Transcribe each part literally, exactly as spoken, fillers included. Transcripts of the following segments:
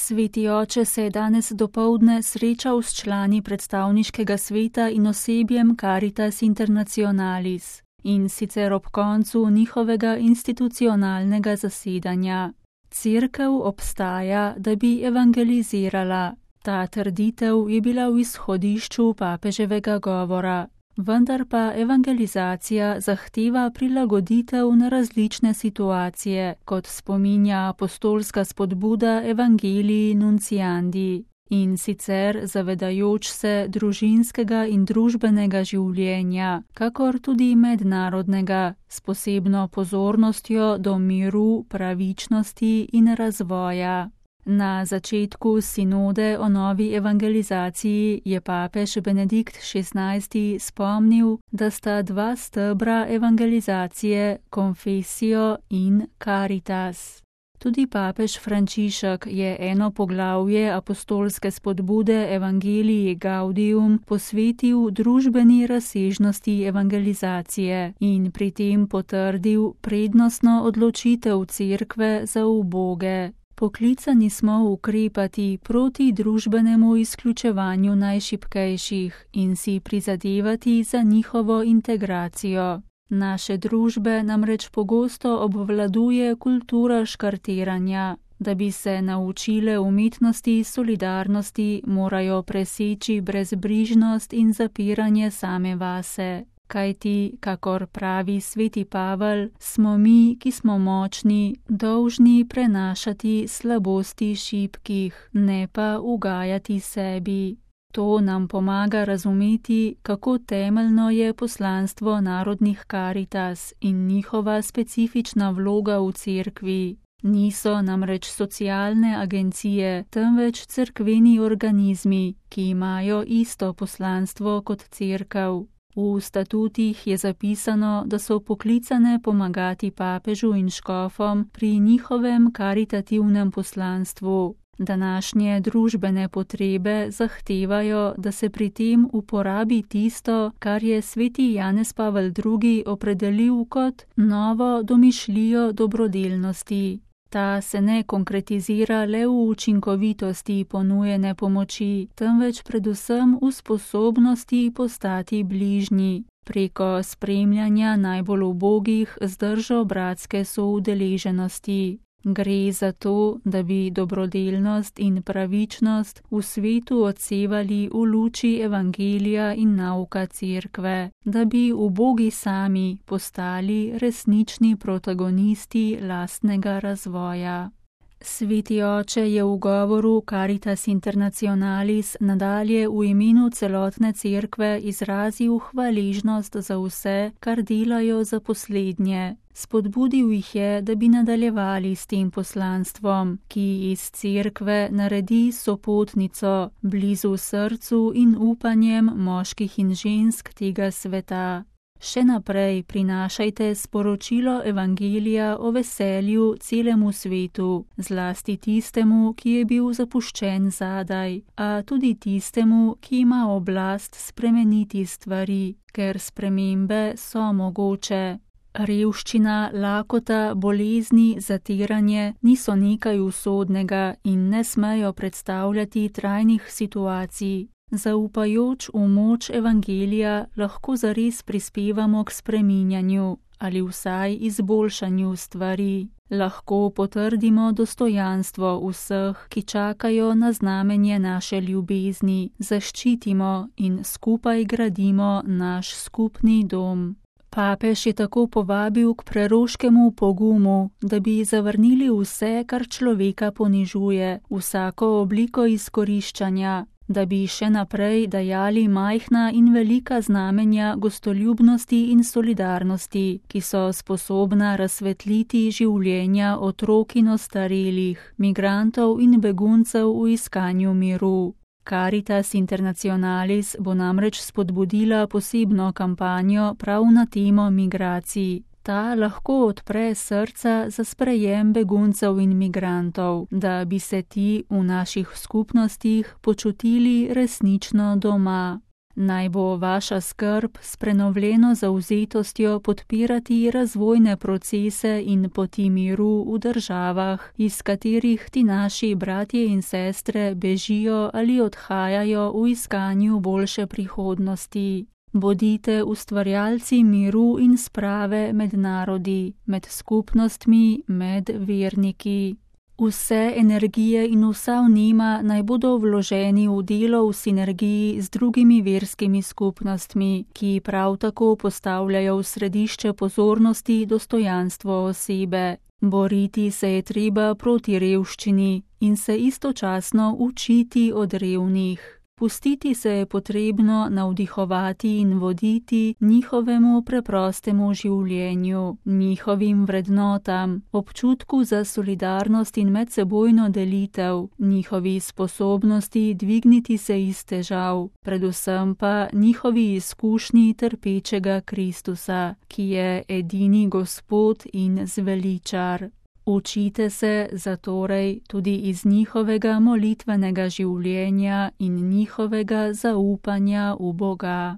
Sveti oče se je danes dopoldne srečal s člani predstavniškega sveta in osebjem Caritas Internationalis, in sicer ob koncu njihovega institucionalnega zasedanja. Cerkev obstaja, da bi evangelizirala. Ta trditev je bila v izhodišču papeževega govora. Vendar pa evangelizacija zahteva prilagoditev na različne situacije, kot spominja apostolska spodbuda Evangelii Nunciandi, in sicer zavedajoč se družinskega in družbenega življenja, kakor tudi mednarodnega, s posebno pozornostjo do miru, pravičnosti in razvoja. Na začetku sinode o novi evangelizaciji je papež Benedikt šestnajsti spomnil, da sta dva stebra evangelizacije confessio in caritas. Tudi papež Frančišek je eno poglavje apostolske spodbude Evangelii Gaudium posvetil družbeni razsežnosti evangelizacije in pri tem potrdil prednostno odločitev cerkve za uboge. Poklicani smo ukrepati proti družbenemu izključevanju najšibkejših in si prizadevati za njihovo integracijo. Naše družbe namreč pogosto obvladuje kultura škartiranja. Da bi se naučile umetnosti solidarnosti, morajo preseči brezbrižnost in zapiranje same vase. Kajti, kakor pravi sveti Pavel, smo mi, ki smo močni, dolžni prenašati slabosti šibkih, ne pa ugajati sebi. To nam pomaga razumeti, kako temeljno je poslanstvo narodnih Caritas in njihova specifična vloga v cerkvi. Niso namreč socialne agencije, temveč cerkveni organizmi, ki imajo isto poslanstvo kot cerkev. V statutih je zapisano, da so poklicane pomagati papežu in škofom pri njihovem karitativnem poslanstvu. Današnje družbene potrebe zahtevajo, da se pri tem uporabi tisto, kar je sveti Janez Pavel drugi opredelil kot novo domišljijo dobrodelnosti. Ta se ne konkretizira le v učinkovitosti ponujene pomoči, temveč predvsem v sposobnosti postati bližnji, preko spremljanja najbolj ubogih z držo bratske soudeleženosti. Gre za to, da bi dobrodelnost in pravičnost v svetu odsevali v luči evangelija in nauka cerkve, da bi ubogi sami postali resnični protagonisti lastnega razvoja. Sveti oče je v govoru Caritas Internationalis nadalje v imenu celotne cerkve izrazil hvaležnost za vse, kar delajo za poslednje. Spodbudil jih je, da bi nadaljevali s tem poslanstvom, ki iz cerkve naredi sopotnico, blizu srcu in upanjem moških in žensk tega sveta. Še naprej prinašajte sporočilo evangelija o veselju celemu svetu, zlasti tistemu, ki je bil zapuščen zadaj, a tudi tistemu, ki ima oblast spremeniti stvari, ker spremembe so mogoče. Revščina, lakota, bolezni, zatiranje niso nekaj usodnega in ne smejo predstavljati trajnih situacij. Zaupajoč v moč evangelija lahko zares prispevamo k spreminjanju ali vsaj izboljšanju stvari. Lahko potrdimo dostojanstvo vseh, ki čakajo na znamenje naše ljubezni, zaščitimo in skupaj gradimo naš skupni dom. Papež je tako povabil k preroškemu pogumu, da bi zavrnili vse, kar človeka ponižuje, vsako obliko izkoriščanja, da bi še naprej dajali majhna in velika znamenja gostoljubnosti in solidarnosti, ki so sposobna razsvetliti življenja otrok in ostarelih, migrantov in beguncev v iskanju miru. Caritas Internationalis bo namreč spodbudila posebno kampanjo prav na temo migracij. Ta lahko odpre srca za sprejem beguncev in migrantov, da bi se ti v naših skupnostih počutili resnično doma. Naj bo vaša skrb s prenovljeno zavzetostjo podpirati razvojne procese in poti miru v državah, iz katerih ti naši bratje in sestre bežijo ali odhajajo v iskanju boljše prihodnosti. Bodite ustvarjalci miru in sprave med narodi, med skupnostmi, med verniki. Vse energije in vsa vnema naj bodo vloženi v delo v sinergiji z drugimi verskimi skupnostmi, ki prav tako postavljajo v središče pozornosti dostojanstvo osebe. Boriti se je treba proti revščini in se istočasno učiti od revnih. Pustiti se je potrebno navdihovati in voditi njihovemu preprostemu življenju, njihovim vrednotam, občutku za solidarnost in medsebojno delitev, njihovi sposobnosti dvigniti se iz težav, predvsem pa njihovi izkušnji trpečega Kristusa, ki je edini Gospod in zveličar. Učite se zatorej tudi iz njihovega molitvenega življenja in njihovega zaupanja v Boga.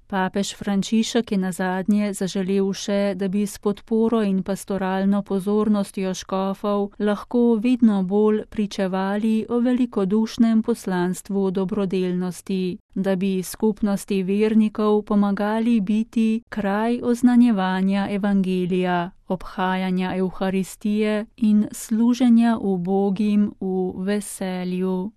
Papež Frančišek je nazadnje zaželel še, da bi s podporo in pastoralno pozornostjo škofov lahko vedno bolj pričevali o velikodušnem poslanstvu dobrodelnosti, da bi skupnosti vernikov pomagali biti kraj oznanjevanja evangelija, obhajanja Evharistije in služenja ubogim v veselju.